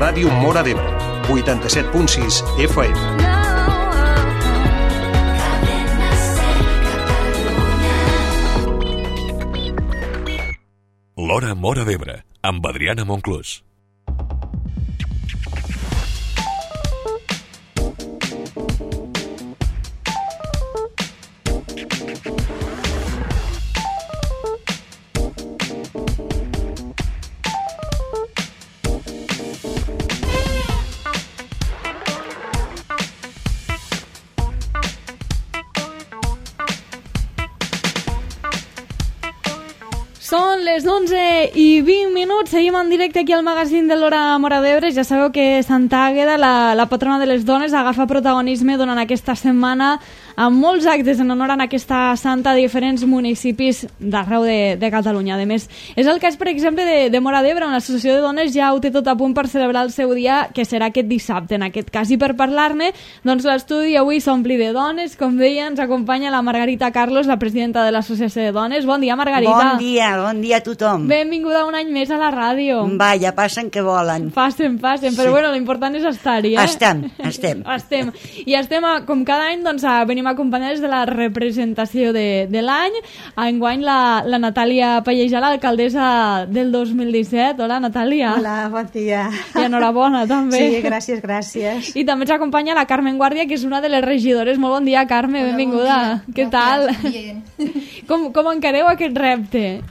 Ràdio Móra d'Ebre, 87.6 FM. L'Hora Móra d'Ebre, amb Adriana Monclús. Són les 11:20, seguim en directe aquí al magazín de l'Hora Móra d'Ebre. Ja sabeu que Santa Àgueda, la patrona de les dones, agafa protagonisme durant aquesta setmana amb molts actes en honor a aquesta santa a diferents municipis d'arreu de Catalunya. A més, és el cas, per exemple, de Móra d'Ebre, on l'Associació de Dones ja ho té tot a punt per celebrar el seu dia, que serà aquest dissabte, en aquest cas. I per parlar-ne, doncs l'estudi avui s'ompli de dones. Com deia, ens acompanya la Margarita Carlos, la presidenta de l'Associació de Dones. Bon dia, Margarita. Bon dia a tothom. Benvinguda un any més a la ràdio. Vaja, passen que volen. Passen, sí. Però bueno, l'important és estar-hi, Estem. I estem, com cada any, doncs, venim acompanyades de la representació de l'any. Enguany la Natàlia Pallejà, l'alcaldessa del 2017. Hola, Natàlia. Hola, bon dia. I enhorabona, també. Sí, gràcies. I també ens acompanya la Carmen Guàrdia, que és una de les regidores. Molt bon dia, Carme, hola, benvinguda. Bon Què tal? Bien. Com encareu aquest repte?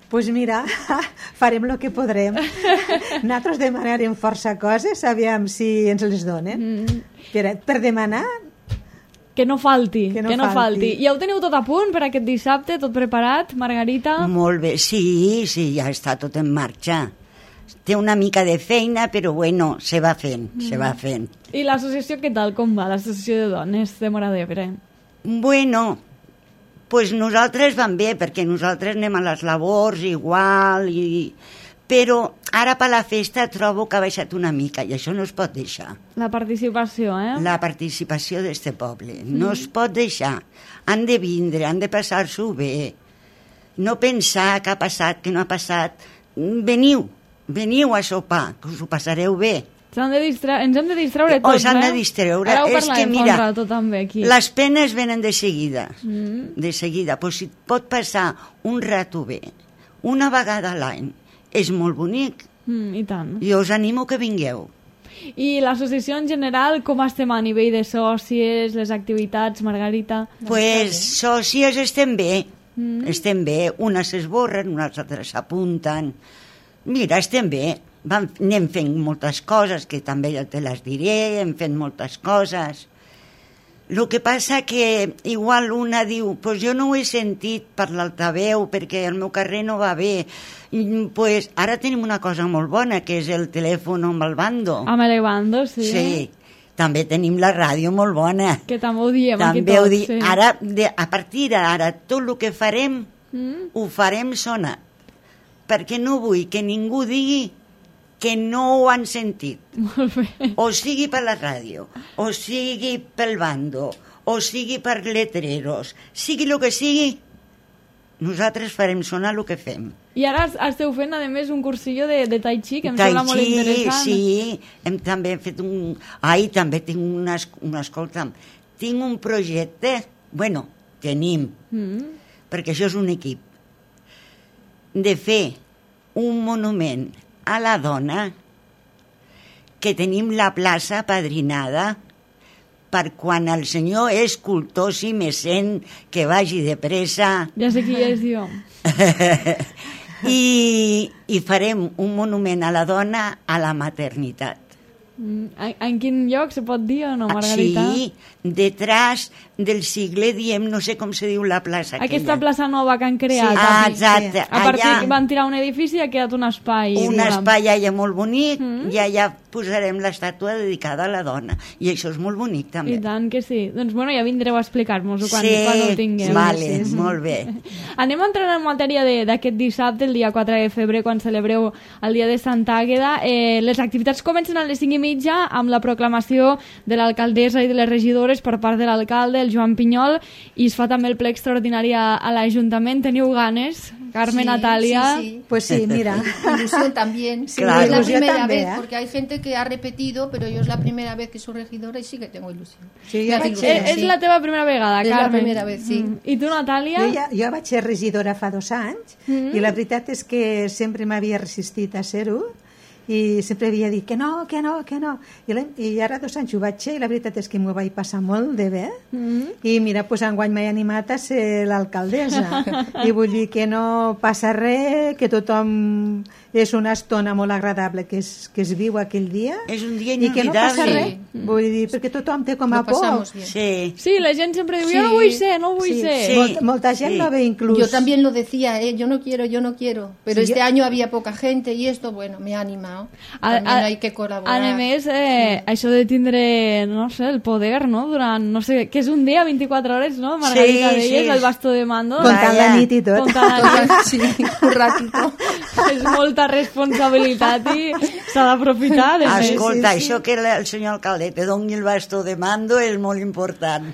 Pues mira, farem el que podrem. Nosaltres demanarem força coses, aviam si ens les donen. Per demanar... Que no falti. I ja ho teniu tot a punt per aquest dissabte, tot preparat, Margarita? Molt bé, sí, ja està tot en marxa. Té una mica de feina, però bueno, se va fent. I l'associació què tal, com va, l'Associació de Dones de Móra d'Ebre? Bueno, pues nosaltres van bé, perquè nosaltres anem a les labors igual, però ara per la festa trobo que ha baixat una mica i això no es pot deixar. La participació, La participació d'este poble. No es pot deixar. Han de vindre, han de passar-s'ho bé. No pensar que ha passat, que no ha passat. Veniu a sopar, que us ho passareu bé. Ens hem de distreure tots, s'han de distreure. Ara ho és que, mira, rato, també, aquí. Les penes venen de seguida. De seguida. Pues si pot passar un rato bé, una vegada a l'any, és molt bonic. I tant. Jo us animo que vingueu. I l'associació en general, com estem a nivell de sòcies, les activitats, Margarita? Pues sòcies estem bé. Estem bé. Unes s'esborren, unes altres s'apunten. Mira, estem bé. Anem fent moltes coses, que també ja te les diré, hem fet moltes coses. El que passa que igual una diu, pues jo no ho he sentit per l'altaveu perquè el meu carrer no va bé. Pues ara tenim una cosa molt bona, que és el telèfon amb el bando. Amb el bando, sí. Sí, també tenim la ràdio molt bona. Que també ho diem aquí també tots. Sí. Ara, a partir d'ara, tot el que farem, ho farem sonar. Perquè no vull que ningú digui que no ho han sentit. Molt bé. O sigui per la ràdio, o sigui pel bando, o sigui per letreros, sigui el que sigui, nosaltres farem sonar el que fem. I ara esteu fent, a més, un cursillo de Tai Chi, que em sembla molt interessant. Sí, hem també fet un... també tinc escolta'm, tinc un projecte, tenim, perquè això és un equip, de fer un monument a la dona, que tenim la plaça padrinada per quan el senyor escultor si mecen que vagi de pressa. Ja sé qui és, jo. I farem un monument a la dona a la maternitat. En quin lloc se pot dir o no, Margarita? Sí, detrás del Sigle, diem, no sé com se diu la plaça aquella. Aquesta plaça nova que han creat. Sí, exacte. A partir van tirar un edifici i ha quedat un espai. Un espai allà molt bonic i allà posarem l'estàtua dedicada a la dona. I això és molt bonic, també. I tant que sí. Doncs ja vindreu a explicar-nos-ho quan ho tinguem. Vale, molt bé. Anem a entrar en matèria d'aquest dissabte, el dia 4 de febrer, quan celebreu el dia de Santa Àgueda. Les activitats comencen a les 5:30 amb la proclamació de l'alcaldessa i de les regidores per part de l'alcalde, el Joan Pinyol, i es fa també el ple extraordinari a l'Ajuntament. Teniu ganes, Carmen, Sí, Natalia... sí. Pues sí, mira. Ilusión también. Sí, Claro. Es la ilusión primera també, vez, eh? porque hay gente que ha repetido, pero yo es la primera vez que soy regidora y sí que tengo ilusión. Sí, Me jo hace vaig ilusión, És sí. la teva primera vegada, És la Carmen. primera vez, sí. I tu, Natàlia? Jo vaig ser regidora fa 2 anys i la veritat és que sempre m'havia resistit a ser-ho i sempre havia dit que no. I ara 2 anys ho vaig ser i la veritat és que m'ho vaig passar molt de bé. I mira, doncs enguany m'he animat a ser l'alcaldessa. I vull dir que no passa res, que tothom és una estona molt agradable que es viu aquell dia. És un dia I que no passa inolvidable. res. Vull dir, perquè tothom té com a Lo por. pasamos bien. Sí. Sí, la gent sempre diu, Sí. jo no vull ser, no vull ser. Sí. Molta gent Sí. no ve inclús. Yo también lo decía, yo no quiero. Pero Sí, este yo- año había poca gente y esto, bueno, me ha animado. También hay que colaborar. A més, això de tindre, no sé, el poder, no?, durant, no sé, que és un dia, 24 hores, no?, Margarita, Sí, deies, sí. el bastó de mando. Comptant la nit i tot. Comptant la nit. Sí, un ratito. És molta responsabilitat i s'ha d'aprofitar, de més. Escolta, això que el senyor alcalde te doni el bastó de mando és molt important.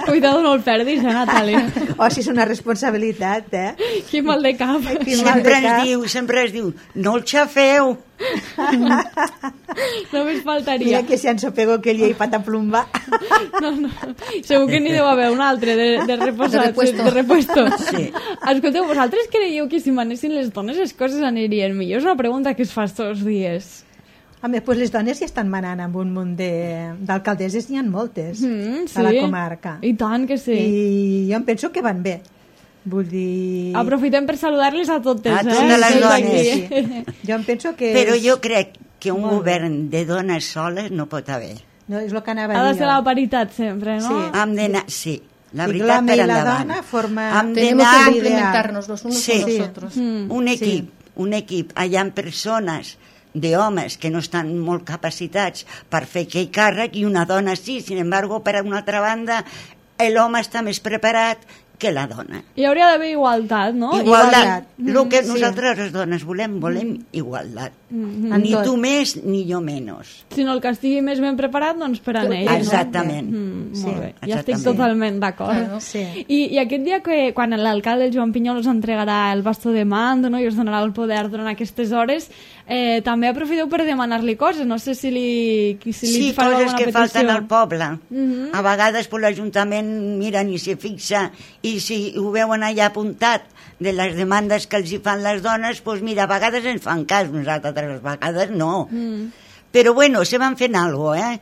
Cuidado, no el perdis, Natàlia. O si és una responsabilitat, Quin mal de cap. Quin mal de cap. Sempre es diu, no el xafeu. Només faltaria. Mira que si ensopego que llei pata plomba. No. Segur que n'hi deu haver un altre de reposat, De repuesto. de repuesto. Sí. Escolteu, vosaltres creieu que si manessin les dones les coses anirien millor? És una pregunta que es fas tots els dies. Home, pues les dones ja estan manant amb un munt d'alcaldesses, n'hi ha moltes a la comarca. I tant que sí. I jo em penso que van bé. Vull dir... Aprofitem per saludar-les a totes, A totes les Des dones, d'aquí. Sí. Jo em penso que... Però jo crec que un Molt bé. govern de dones soles no pot haver. No, és el que anava Ha a de dir ser jo. la paritat sempre, no? Sí. Hem d'anar... Sí, la I veritat l'home per i la endavant. dona forma... Hem Tenemos d'anar- que complementarnos los unos Sí. con los otros. Un equip. Hi ha persones d'homes que no estan molt capacitats per fer aquell càrrec i una dona sí, sin embargo, per una altra banda, l'home està més preparat que la dona. Hi hauria d'haver igualtat, no? Igualtat. El que Sí. nosaltres les dones volem igualtat. En Ni tot. tu més ni jo menys. Si no el que estigui més ben preparat, doncs per a ell. Exactament. Molt bé, ja estic exactament. totalment d'acord. Claro. Sí. I aquest dia que quan l'alcalde, el Joan Pinyol, us entregarà el bastó de mando, no?, i us donarà el poder durant aquestes hores, també aprofiteu per demanar-li coses. No sé si li Sí, fareu coses alguna que petició. falten al poble. A vegades pues, l'Ajuntament mira ni s'hi fixa i si ho veuen allà apuntat de les demandes que els hi fan les dones, doncs mira, a vegades ens fan cas, nosaltres altres vegades no. Però bueno, se van fent alguna cosa,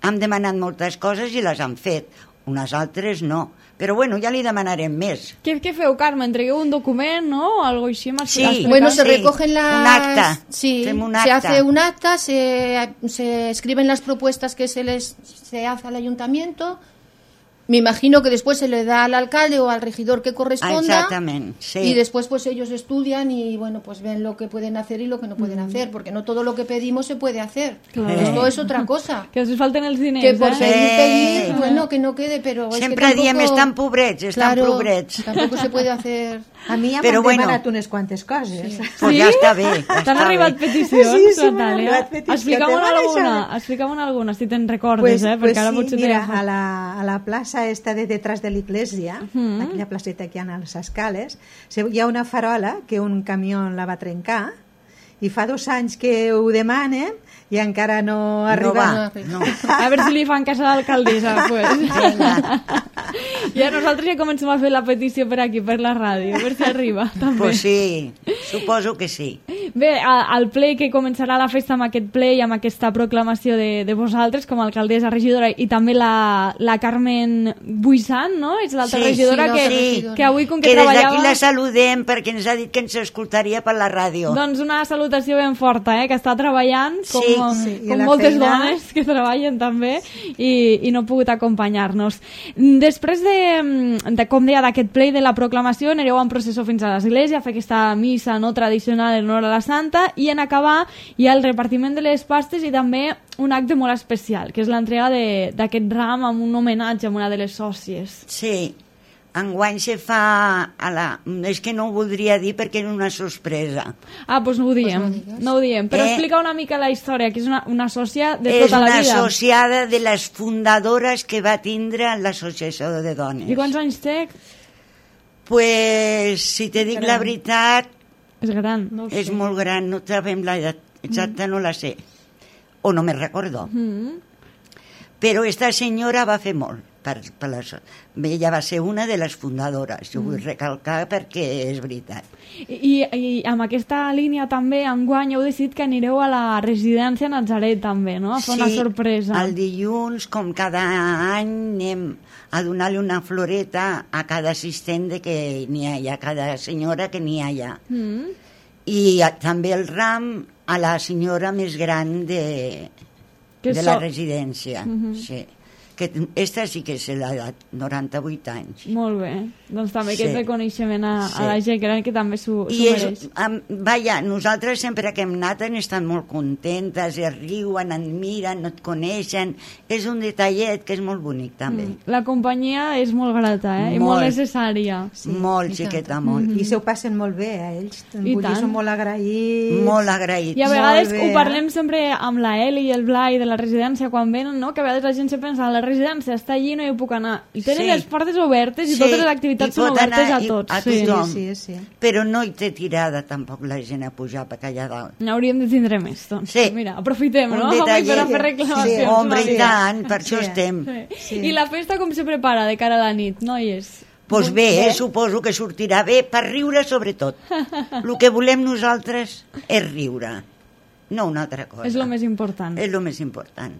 Hem demanat moltes coses i les han fet, unes altres no. Però bueno, ja li demanarem més. Què feu, Carme? Entregueu un document, no? Algo així m'has Sí. explicat? Bueno, se Sí, recogen las... un acta. Sí, Hacemos un se acta. hace un acta, se escriben las propuestas que se hace al ayuntamiento. Me imagino que después se le da al alcalde o al regidor que corresponda. Exactament, sí. Y después pues ellos estudian y bueno, pues ven lo que pueden hacer y lo que no pueden hacer, porque no todo lo que pedimos se puede hacer. Claro. Esto es otra cosa. Que us falten els diners, Que por eh? pedir, bueno, que no quede, pero es Sempre que tampoco... diem, estan pobrets, estan Claro, pobrets. tampoco se puede hacer... A mi ja Però m'han bueno. demanat unes quantes coses. Pues ja està bé. Ja T'han està arribat bé. peticions, Sí, sí, m'han Natàlia? arribat peticions. Explica-me'n Te van alguna, deixar. explica-me'n alguna, si te'n recordes, perquè ara sí, potser mira, t'he a la plaça esta de detrás de l'església, aquella placeta que hi ha a les escales, hi ha una farola que un camió la va trencar i fa 2 anys que ho demanen i encara no arriba. No va, no. A veure si li fan cas a l'alcaldessa, pues. Ja nosaltres ja comencem a fer la petició per aquí, per la ràdio, a veure si arriba, també. Pues sí, suposo que sí. Bé, al ple que començarà la festa amb aquest ple i amb aquesta proclamació de vosaltres com a alcaldessa, regidora, i també la Carmen Buisant, no? És l'altra Sí, regidora sí, que, l'altra regidora. que avui, com que Que des treballava... d'aquí la saludem perquè ens ha dit que ens escoltaria per la ràdio. Doncs una salutació ben forta, que està treballant com, Sí, sí. I com la moltes feina... dones que treballen també i no ha pogut acompanyar-nos. Després de com deia, d'aquest ple i de la proclamació, anireu en processó fins a l'església a fer aquesta missa no tradicional en honor a la Santa i en acabar hi ha el repartiment de les pastes i també un acte molt especial, que és l'entrega d'aquest ram amb un homenatge a una de les sòcies. Sí, enguany se fa és que no ho voldria dir perquè és una sorpresa. Ah, doncs no ho diem, Pues no digues. no ho diem. Però explica una mica la història, que és una sòcia de tota la vida. És una associada de les fundadores que va tindre l'associació de dones. I quants anys té? Pues, si te dic la veritat, És gran. No ho sé. és molt gran, no sabem l'edat exacta, no la sé. O no me recordo. Però esta senyora va fer molt. Ella va ser una de les fundadores, ho vull recalcar perquè és veritat. I amb aquesta línia també, enguany heu decidit que anireu a la residència Natzaret també, no? A fer una sorpresa. El dilluns, com cada any, anem a donar-li una floreta a cada assistent que n'hi ha, a cada senyora que n'hi ha allà. I també el ram a la senyora més gran de la residència. Sí. Que esta sí que és l'edat, 98 anys. Molt bé. Doncs també Sí. aquest reconeixement a Sí. la gent gran que també s'ho I mereix. vaja, nosaltres sempre que hem anat han estat molt contentes, es riuen, et miren, no et coneixen. És un detallet que és molt bonic també. La companyia és molt grata, I molt necessària. Molt, xiqueta, molt. I se ho passen molt bé, ells. I Vull dir, tant. són molt agraïts. Molt agraïts. I a vegades Molt bé, ho parlem sempre amb la Eli i el Blai de la residència quan venen, no? Que a vegades la gent se pensa la residència està allí, no hi puc anar. I tenen Sí. les portes obertes i Sí, totes les activitats i són pot obertes anar a tots. a Sí. tothom. Sí. Però no hi té tirada tampoc la gent a pujar per allà dalt. N'hauríem de tindre més, doncs. Sí. Mira, aprofitem, Un no? detallet. Per a fer reclamacions. Sí, home, Sí. i tant, per això Sí. estem. Sí. I la festa com se prepara de cara a la nit, noies? Doncs bé, suposo que sortirà bé, per riure sobretot. El que volem nosaltres és riure, no una altra cosa. És el més important. És el més important.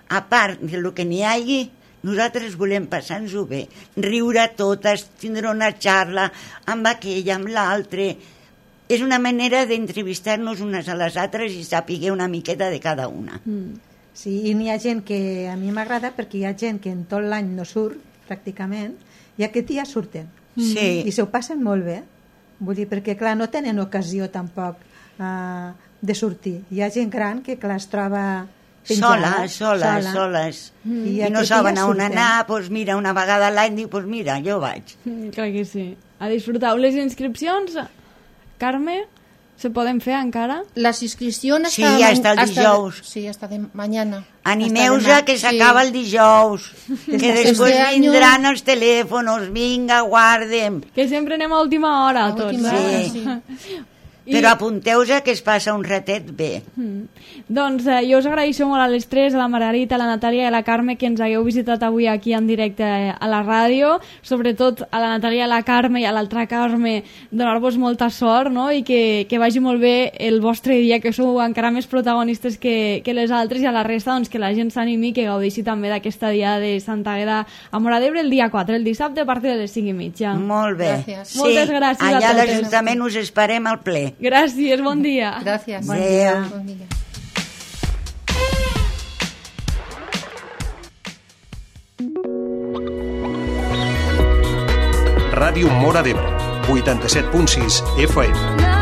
A part del que n'hi hagi, nosaltres volem passar-nos-ho bé, riure totes, tindre una xarra amb aquella, amb l'altre. És una manera d'entrevistar-nos unes a les altres i saber una miqueta de cada una. Sí, i n'hi ha gent que a mi m'agrada perquè hi ha gent que en tot l'any no surt, pràcticament, i aquest dia surten. Sí. I se ho passen molt bé. Vull dir, perquè, clar, no tenen ocasió tampoc de sortir. Hi ha gent gran que, clar, es troba penjada, soles. I I no aquest saben dia a on surten. anar, doncs mira, una vegada a l'any diu, doncs mira, jo vaig. Clar que sí. A disfrutar. Les inscripcions, Carme, se poden fer encara? Las inscripciones Sí, hasta el dijous. Sí, hasta de mañana. Animeu-se Hasta que demà. s'acaba el dijous, que després Este año- vindran els telèfons, vinga, guardem. Que sempre anem a última hora, A tots. última hora, Sí. sí. Però apunteu-se que es passa un ratet bé. Doncs jo us agraeixo molt a les tres, a la Margarita, a la Natàlia i a la Carme que ens hagueu visitat avui aquí en directe a la ràdio, sobretot a la Natàlia, a la Carme i a l'altra Carme, donar-vos molta sort, no? I que vagi molt bé el vostre dia, que sou encara més protagonistes que les altres, i a la resta doncs, que la gent s'animi i que gaudeixi també d'aquesta dia de Santa Àgueda a Móra d'Ebre el dia 4, el dissabte a partir de les 5:30. Molt bé. Gràcies. Sí, Moltes gràcies a allà a totes. l'Ajuntament us esperem al ple. Gràcies, bon dia. Gracias. Bon dia. Buen día. Ràdio Móra d'Ebre, 87.6 FM.